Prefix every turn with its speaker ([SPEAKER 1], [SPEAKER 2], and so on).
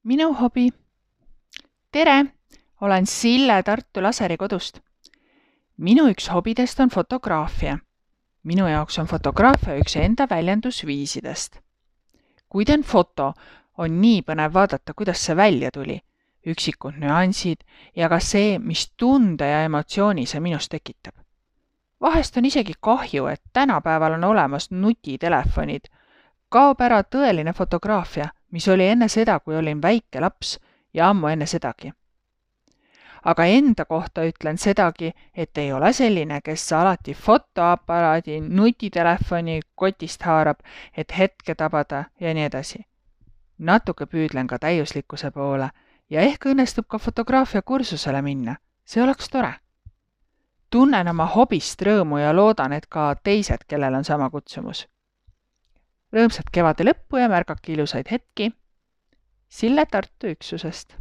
[SPEAKER 1] Minu hobi. Tere! Olen Sille Tartu Laseri kodust. Minu üks hobidest on fotograafia. Minu jaoks on fotograafia üks enda väljendusviisidest. Kui teen foto, on nii põnev vaadata, kuidas see välja tuli, üksikud nüansid ja ka see, mis tunde ja emotsiooni see minus tekitab. Vahest on isegi kahju, et tänapäeval on olemas nutitelefonid. Kaob ära tõeline fotograafia, mis oli enne seda, kui olin väike laps ja ammu enne sedagi. Aga enda kohta ütlen sedagi, et ei ole selline, kes alati fotoaparaadi, nutitelefoni kotist haarab, et hetke tabada ja nii edasi. Natuke püüdlen ka täiuslikkuse poole ja ehk õnnestub ka fotograafia kursusele minna. See oleks tore. Tunnen oma hobist rõõmu ja loodan, et ka teised, kellel on sama kutsumus. Rõõmsat kevade lõppu ja märgake ilusaid hetki. Sille Tartu üksusest.